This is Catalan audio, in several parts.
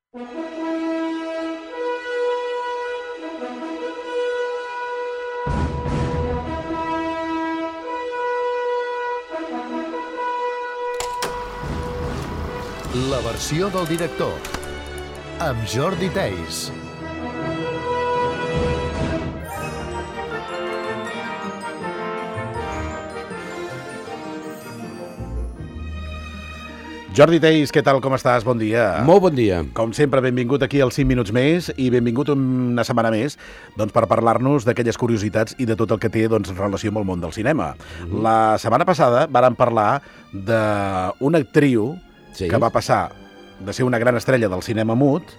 La versió del director, amb Jordi Theis. Jordi Theis, què tal, com estàs? Bon dia. Molt bon dia. Com sempre, benvingut aquí als 5 minuts més i benvingut una setmana més per parlar-nos d'aquelles curiositats i de tot el que té relació amb el món del cinema. La setmana passada vàrem parlar d'una actriu que va passar de ser una gran estrella del cinema mut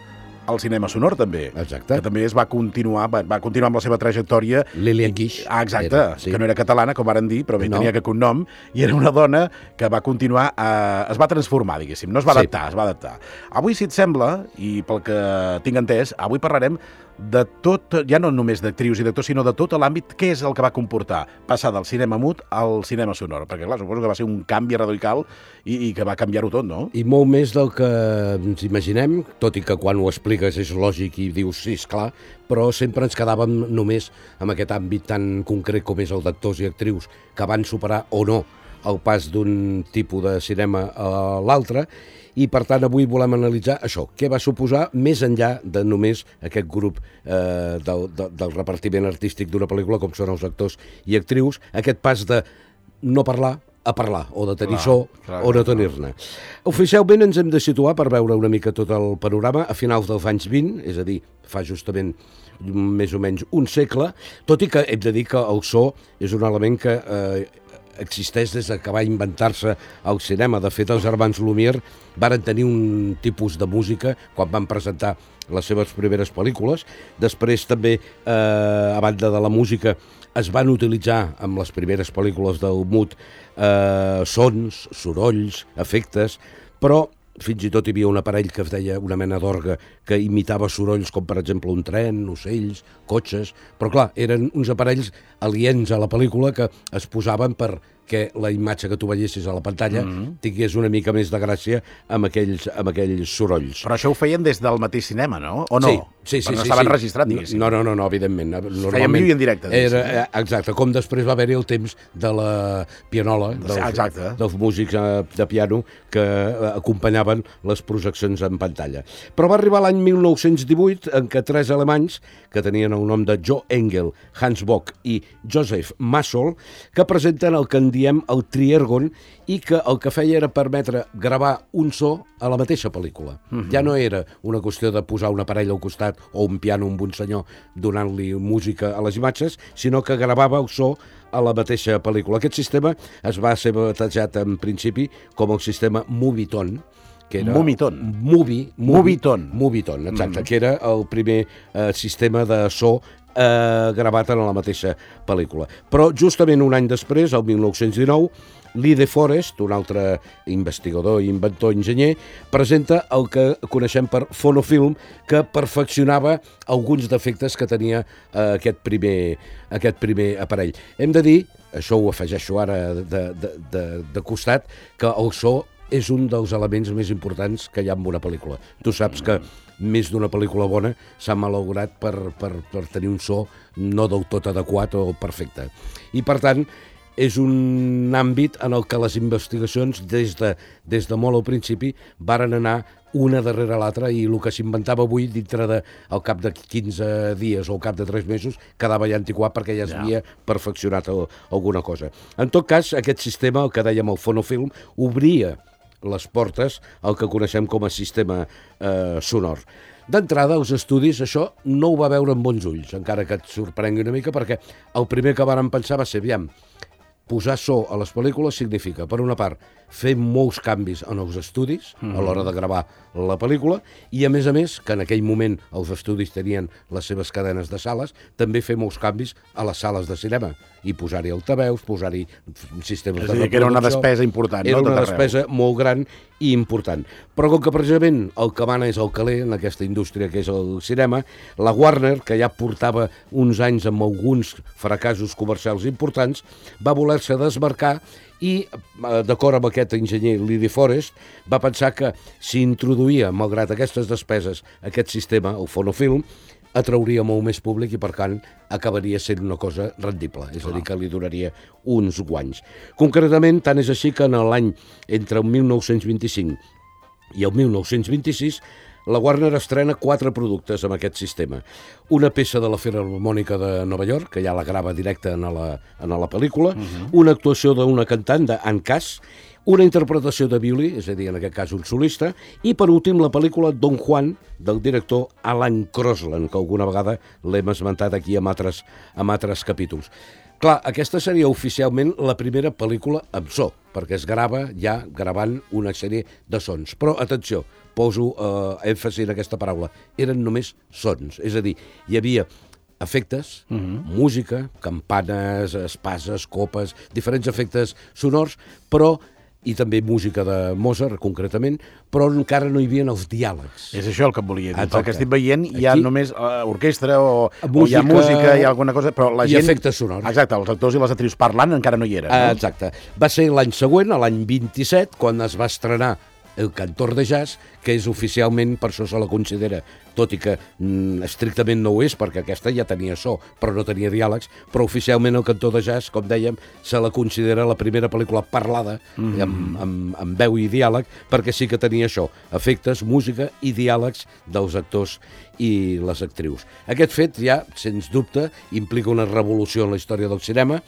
al cinema sonor, també. Exacte. Que també va continuar amb la seva trajectòria. Lillian Gish. Exacte, que no era catalana, com varen dir, però bé, tenia aquest cognom, i era una dona que va continuar, es va transformar, diguéssim, no es va adaptar, es va adaptar. Avui, si et sembla, i pel que tinc entès, avui parlarem de tot, ja no només d'actrius i d'actors, sinó de tot l'àmbit, què és el que va comportar passar del cinema mut al cinema sonor, perquè clar, suposo que va ser un canvi radical i que va canviar-ho tot, no? I molt més del que ens imaginem, tot i que quan ho expliques és lògic i dius, sí, esclar, però sempre ens quedàvem només amb aquest àmbit tan concret com és el d'actors i actrius que van superar o no el pas d'un tipus de cinema a l'altre, i per tant avui volem analitzar això, què va suposar més enllà de només aquest grup del repartiment artístic d'una pel·lícula com són els actors i actrius, aquest pas de no parlar a parlar, o de tenir so o no tenir-ne. Oficialment ens hem de situar per veure una mica tot el panorama a finals dels anys 20, és a dir, fa justament més o menys un segle, tot i que hem de dir que el so és un element que existeix des que va inventar-se el cinema. De fet, els germans Lumière varen tenir un tipus de música quan van presentar les seves primeres pel·lícules. Després també, a banda de la música, es van utilitzar amb les primeres pel·lícules del mut sons, sorolls, efectes, però fins i tot hi havia un aparell que es deia una mena d'orgue que imitava sorolls com per exemple un tren, ocells, cotxes, però clar, eren uns aparells aliens a la pel·lícula que es posaven perquè la imatge que tu veiessis a la pantalla tingués una mica més de gràcia amb aquells sorolls. Però això ho feien des del mateix cinema, no? O no? Sí. No estaven registrats, diguéssim. No, evidentment. Feien viu i en directe. Exacte, com després va haver-hi el temps de la pianola, dels músics de piano que acompanyaven les projeccions en pantalla. Però va arribar l'any 1918 en què 3 alemanys, que tenien el nom de Joe Engel, Hans Bock i Joseph Massol, que presenten el que en diem el Triergon i que el que feia era permetre gravar un so a la mateixa pel·lícula. Ja no era una qüestió de posar un aparell al costat o un piano amb un senyor donant-li música a les imatges, sinó que gravava el so a la mateixa pel·lícula. Aquest sistema es va ser batejat en principi com el sistema Moviton, que era Moviton, exacte, que era el primer sistema de so gravat en la mateixa pel·lícula. Però justament un any després, el 1919, Lee De Forest, un altre investigador, inventor, enginyer, presenta el que coneixem per fonofilm, que perfeccionava alguns defectes que tenia aquest primer aparell. Hem de dir, això ho afegeixo ara de costat, que el so és un dels elements més importants que hi ha en una pel·lícula. Tu saps que més d'una pel·lícula bona s'ha malaurat per tenir un so no del tot adequat o perfecte. I per tant, és un àmbit en el que les investigacions des de molt al principi varen anar una darrere l'altra i el que s'inventava avui dintre al cap de 15 dies o al cap de 3 mesos quedava ja antiquat perquè ja s'havia perfeccionat alguna cosa. En tot cas, aquest sistema, el que dèiem el fonofilm, obria les portes al que coneixem com a sistema sonor. D'entrada, els estudis, això no ho va veure amb bons ulls, encara que et sorprengui una mica, perquè el primer que varen pensar va ser, aviam, posar so a les pel·lícules significa, per una part, fer molts canvis en els estudis a l'hora de gravar la pel·lícula i, a més, que en aquell moment els estudis tenien les seves cadenes de sales, també fer molts canvis a les sales de cinema. i posar-hi altaveus, posar-hi sistemes de reproducció. És a dir, que era una despesa important, Era no? una despesa molt gran i important. Però com que precisament el que mana és el caler en aquesta indústria que és el cinema, la Warner, que ja portava uns anys amb alguns fracassos comercials importants, va voler-se desmarcar i, d'acord amb aquest enginyer Lee Forest, va pensar que si introduïa, malgrat aquestes despeses, aquest sistema, el fonofilm, atrauria molt més públic i, per tant, acabaria sent una cosa rendible, és a dir, que li donaria uns guanys. Concretament, tant és així que en l'any entre el 1925 i el 1926 la Warner estrena 4 productes amb aquest sistema. Una peça de la Filharmònica de Nova York, que ja la grava directe en la pel·lícula, una actuació d'una cantant, d'Anne Cass, una interpretació de violí, és a dir, en aquest cas un solista, i per últim la pel·lícula Don Juan, del director Alan Crosland, que alguna vegada l'hem esmentat aquí amb altres capítols. Clar, aquesta seria oficialment la primera pel·lícula amb so, perquè es grava ja gravant una sèrie de sons. Però, atenció, poso èmfasi en aquesta paraula, eren només sons, és a dir, hi havia efectes, música, campanes, espases, copes, diferents efectes sonors, però i també música de Mozart, concretament, però encara no hi havia els diàlegs. És això el que et volia dir. Exacte. El que estic veient hi ha Aquí, només orquestra o hi ha música, hi ha alguna cosa, però la gent... I efectes sonors. Exacte, els actors i les actrius parlant encara no hi eren. No? Exacte. Va ser l'any següent, l'any 27, quan es va estrenar El cantor de jazz, que és oficialment, per això se la considera, tot i que estrictament no ho és, perquè aquesta ja tenia so, però no tenia diàlegs, però oficialment El cantor de jazz, com dèiem, se la considera la primera pel·lícula parlada, amb veu i diàleg, perquè sí que tenia això, efectes, música i diàlegs dels actors i les actrius. Aquest fet ja, sens dubte, implica una revolució en la història del cinema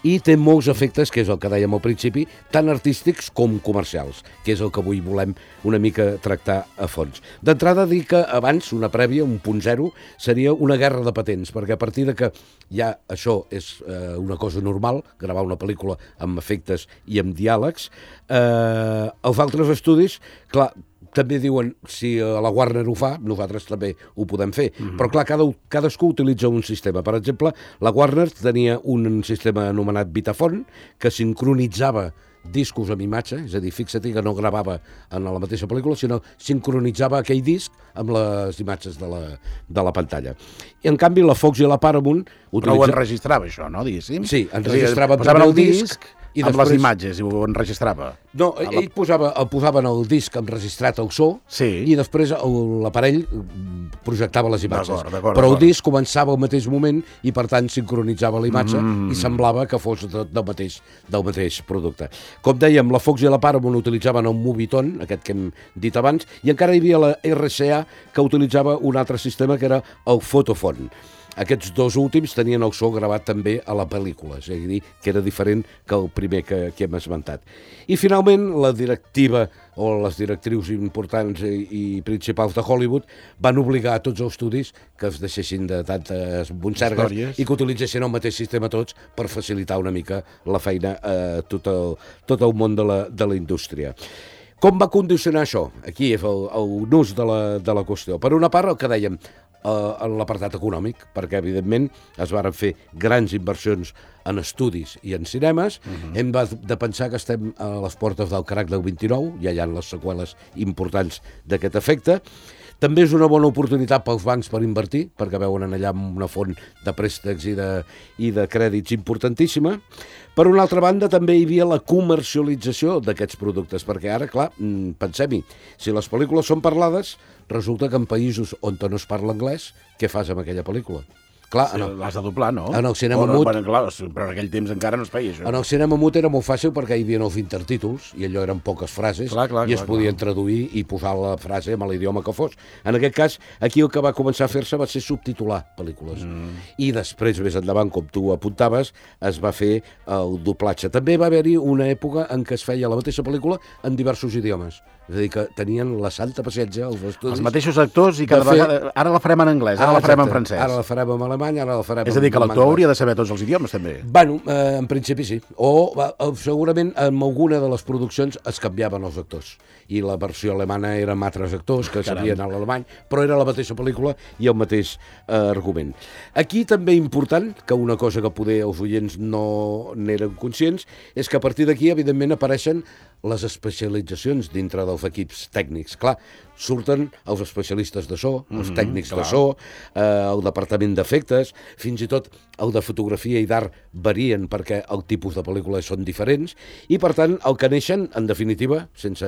i té molts efectes, que és el que dèiem al principi, tant artístics com comercials, que és el que avui volem una mica tractar a fons. D'entrada, dir que abans, una prèvia, un punt zero, seria una guerra de patents, perquè a partir de que ja això és una cosa normal, gravar una pel·lícula amb efectes i amb diàlegs, els altres estudis, clar, també diuen, si la Warner ho fa, nosaltres també ho podem fer. Però clar, cadascú utilitza un sistema. Per exemple, la Warner tenia un sistema anomenat Vitaphone, que sincronitzava discos amb imatge, és a dir, fixa't que no gravava en la mateixa pel·lícula, sinó sincronitzava aquell disc amb les imatges de la pantalla. I en canvi la Fox i la Paramount Però ho enregistrava això, no, diguéssim? Sí, enregistrava posaven el disc i amb després... les imatges i ho enregistrava. No, ell posaven el disc enregistrat al so i després l'aparell projectava les imatges. Però el disc començava al mateix moment i per tant sincronitzava la imatge i semblava que fos del mateix producte. Com dèiem, la Fox i la Paramount utilitzaven el Movietone, aquest que hem dit abans, i encara hi havia la RCA que utilitzava un altre sistema que era el Photophone. Aquests dos últims tenien el so gravat també a la pel·lícula, és a dir, que era diferent que el primer que hem esmentat. I finalment, la directiva o les directrius importants i principals de Hollywood van obligar a tots els estudis que es deixessin de tantes bonsergues i que utilitzessin el mateix sistema tots per facilitar una mica la feina a tot el món de la indústria. Com va condicionar això? Aquí és el nus de la qüestió. Per una part, el que dèiem, en l'apartat econòmic, perquè evidentment es van fer grans inversions en estudis i en cinemes. Hem de pensar que estem a les portes del crac del 29, ja hi ha les seqüeles importants d'aquest efecte. També és una bona oportunitat pels bancs per invertir, perquè veuen allà una font de préstecs i de crèdits importantíssima. Per una altra banda, també hi havia la comercialització d'aquests productes, perquè ara, clar, pensem-hi, si les pel·lícules són parlades, resulta que en països on no es parla anglès, què fas amb aquella pel·lícula? Clar, l'has de doblar, no? En el cinema mut... Clar, però en aquell temps encara no es feia això. En el cinema mut era molt fàcil perquè hi havia els intertítols i allò eren poques frases i es podien traduir i posar la frase amb l'idioma que fos. En aquest cas, aquí el que va començar a fer-se va ser subtitular pel·lícules. I després, més endavant, com tu apuntaves, es va fer el doblatge. També va haver-hi una època en què es feia la mateixa pel·lícula en diversos idiomes. És a dir, que tenien la santa paciència als estudis. Els mateixos actors i cada vegada... Ara la farem en anglès, ara la farem en francès. Ara la farem en alemany, ara la farem en És a dir, que l'actor hauria de saber tots els idiomes, també. Bueno, en principi sí. O segurament en alguna de les produccions es canviaven els actors. I la versió alemana era amb altres actors que sabien l'alemany, però era la mateixa pel·lícula i el mateix argument. Aquí també important, que una cosa que poder els oients no n'eren conscients, és que a partir d'aquí, evidentment, apareixen les especialitzacions dintre dels equips tècnics. Clar, surten els especialistes de so, els tècnics de so, el departament d'efectes, fins i tot el de fotografia i d'art varien perquè el tipus de pel·lícules són diferents, i per tant el que neixen, en definitiva, sense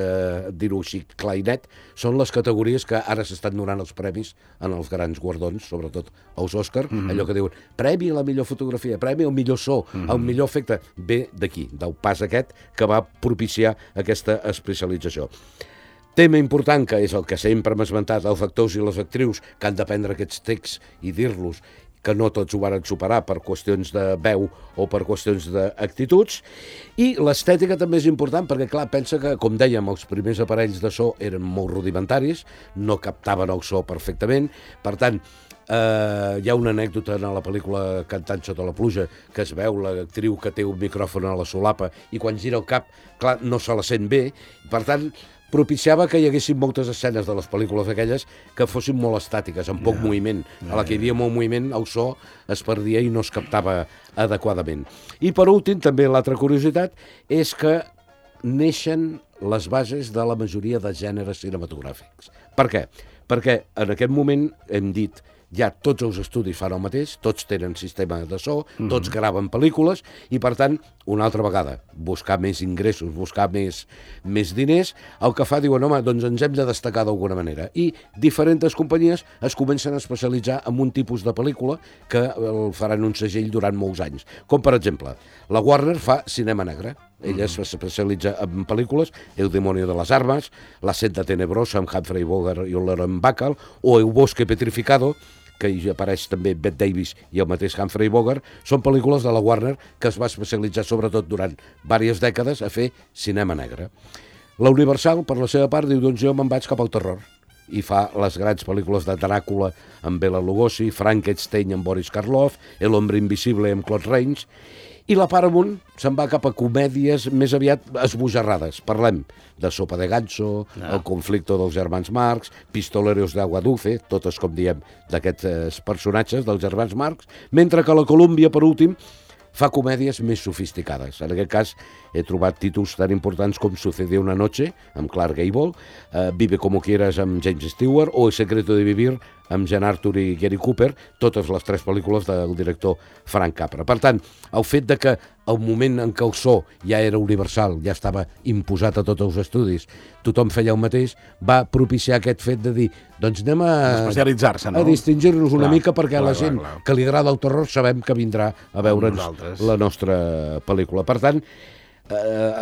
dir-ho així clar i net, són les categories que ara s'estan donant els premis en els grans guardons, sobretot els Òscar, allò que diuen premi a la millor fotografia, premi al millor so, al millor efecte, ve d'aquí, del pas aquest que va propiciar aquesta especialització. Tema important, que és el que sempre hem esmentat, els actors i les actrius que han de prendre aquests texts i dir-los, que no tots ho van superar per qüestions de veu o per qüestions d'actituds. I l'estètica també és important perquè, clar, pensa que, com dèiem, els primers aparells de so eren molt rudimentaris, no captaven el so perfectament, per tant, hi ha una anècdota en la pel·lícula Cantant sota la pluja que es veu l'actriu que té un micròfon a la solapa i quan gira el cap, clar, no se la sent bé, per tant, propiciava que hi haguessin moltes escenes de les pel·lícules aquelles que fossin molt estàtiques, amb poc moviment. A la que hi havia molt moviment, el so es perdia i no es captava adequadament. I per últim, també l'altra curiositat, és que neixen les bases de la majoria de gèneres cinematogràfics. Per què? Perquè en aquest moment hem dit ja tots els estudis fan el mateix, tots tenen sistema de so, tots graven pel·lícules i, per tant, una altra vegada, buscar més ingressos, buscar més diners, el que fa, diuen, home, doncs ens hem de destacar d'alguna manera. I diferents companyies es comencen a especialitzar en un tipus de pel·lícula que el faran un segell durant molts anys. Com, per exemple, la Warner fa cinema negre. Ella s'especialitza en pel·lícules, El demonio de las armas, La senda tenebrosa amb Humphrey Bogart i Lauren Bacall, o El bosque petrificado, que hi apareix també Bette Davis i el mateix Humphrey Bogart, són pel·lícules de la Warner que es va especialitzar sobretot durant diverses dècades a fer cinema negre. La Universal, per la seva part, diu, doncs jo me'n vaig cap al terror, i fa les grans pel·lícules de Dràcula amb Bela Lugosi, Frankenstein amb Boris Karloff, El hombre invisible amb Claude Rains, i la Paramount se'n va cap a comèdies més aviat esbojarrades. Parlem de Sopa de Ganso, El conflicto dels germans Marx, Pistoleros de Agua Dulce, totes, com diem, d'aquests personatges dels germans Marx, mentre que la Columbia, per últim, fa comèdies més sofisticades. En aquest cas, he trobat títols tan importants com Sucedió una noche, amb Clark Gable, Vive como quieras, amb James Stewart, o El secreto de vivir, amb Jean Arthur i Gary Cooper, totes les tres pel·lícules del director Frank Capra. Per tant, el fet de que el moment en què el so ja era universal, ja estava imposat a tots els estudis, tothom feia el mateix, va propiciar aquest fet de dir, doncs anem a especialitzar-se, no? A distingir-nos una mica perquè la gent que li agrada el terror sabem que vindrà a veure'ns la nostra pel·lícula. Per tant,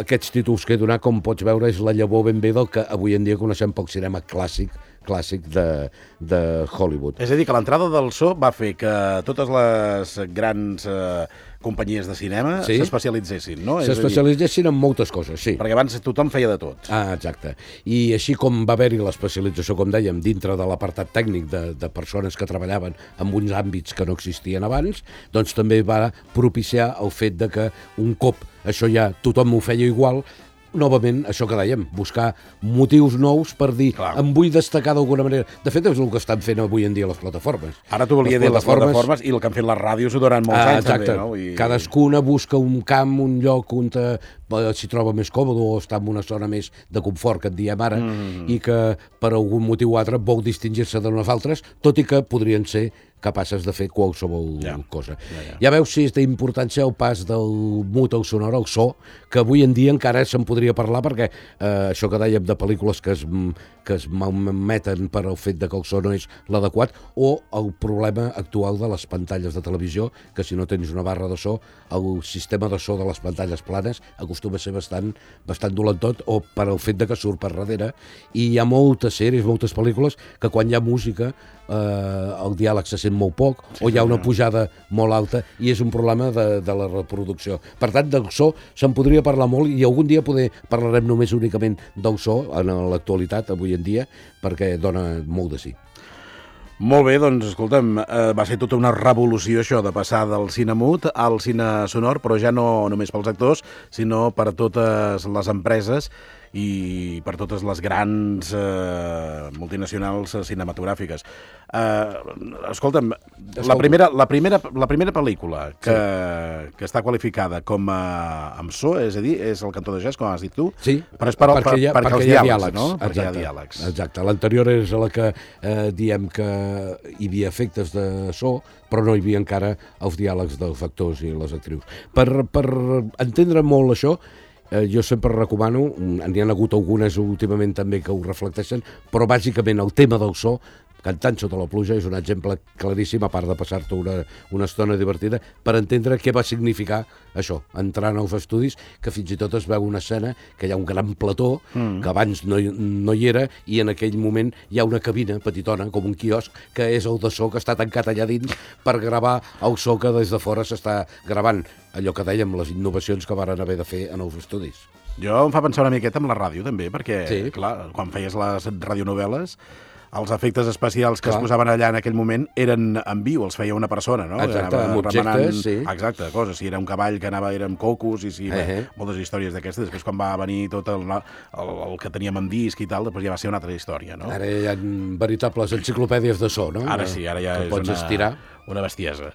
aquests títols que he donat, com pots veure, és la llavor ben bé del que avui en dia coneixem pel cinema clàssic de Hollywood. És a dir, que l'entrada del so va fer que totes les grans companyies de cinema s'especialitzessin, no? S'especialitzessin en moltes coses, sí. Perquè abans tothom feia de tot. Exacte. I així com va haver-hi l'especialització, com dèiem, dintre de l'apartat tècnic de persones que treballaven en uns àmbits que no existien abans, doncs també va propiciar el fet de que un cop això ja tothom ho feia igual, novament, això que dèiem, buscar motius nous per dir, em vull destacar d'alguna manera. De fet, és el que estan fent avui en dia les plataformes. Ara t'ho volia dir, les plataformes i el que han fet les ràdios durant molts anys. Exacte. També, no? Cadascuna busca un camp, un lloc on s'hi troba més còmode o està en una zona més de confort, que et diem ara, i que per algun motiu o altre vol distingir-se de nosaltres, tot i que podrien ser capaces de fer qualsevol cosa. Ja veus si és d'importància el pas del mut al sonor, al so, que avui en dia encara se'n podria parlar perquè això que dèiem de pel·lícules que es malmeten per el fet de que el so no és l'adequat, o el problema actual de les pantalles de televisió, que si no tens una barra de so, el sistema de so de les pantalles planes acostuma a ser bastant dolentot, o per el fet de que surt per darrere, i hi ha moltes sèries, moltes pel·lícules, que quan hi ha música el diàleg se sent tenen molt poc, o hi ha una pujada molt alta, i és un problema de la reproducció. Per tant, del so se'n podria parlar molt, i algun dia parlarem només únicament del so, en l'actualitat, avui en dia, perquè dona molt de sí. Molt bé, doncs, escolta'm, va ser tota una revolució això de passar del cine mut al cine sonor, però ja no només pels actors, sinó per totes les empreses i per totes les grans multinacionals cinematogràfiques. Escolta'm, la primera pel·lícula que està qualificada com amb so, és a dir, és El cantó de jazz, com has dit tu, sí, però és perquè hi ha diàlegs, no? Perquè hi ha diàlegs. Exacte, l'anterior és la que diem que hi havia efectes de so, però no hi havia encara els diàlegs dels actors i les actrius. Per entendre molt això, jo sempre recomano, n'hi ha hagut algunes últimament també que ho reflecteixen, però bàsicament el tema del so, Cantant sota la pluja, és un exemple claríssim, a part de passar-te una estona divertida, per entendre què va significar això, entrar en els estudis, que fins i tot es veu una escena que hi ha un gran plató, que abans no hi era, i en aquell moment hi ha una cabina petitona, com un quiosc, que és el de so que està tancat allà dins per gravar el so que des de fora s'està gravant. Allò que dèiem, les innovacions que varen haver de fer en els estudis. Jo em fa pensar una miqueta amb la ràdio, també, perquè, clar, quan feies les radionovel·les, els efectes especials que es posaven allà en aquell moment eren en viu, els feia una persona, no? Exacte, amb objectes, sí. Exacte, coses. Si era un cavall que era amb cocos, i moltes històries d'aquestes. Després, quan va venir tot el que teníem en disc i tal, després ja va ser una altra història, no? Ara hi ha veritables enciclopèdies de so, no? Ara sí, ara ja és pots estirar. Una bestiesa.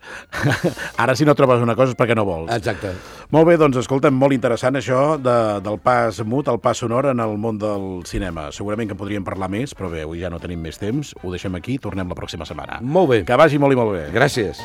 Ara, si no trobes una cosa és perquè no vols. Exacte. Molt bé, doncs, escolta'm, molt interessant això del pas mut, el pas sonor en el món del cinema. Segurament que en podríem parlar més, però bé, avui ja no tenim més temps. Ho deixem aquí, tornem la pròxima setmana. Molt bé. Que vagi molt i molt bé. Gràcies.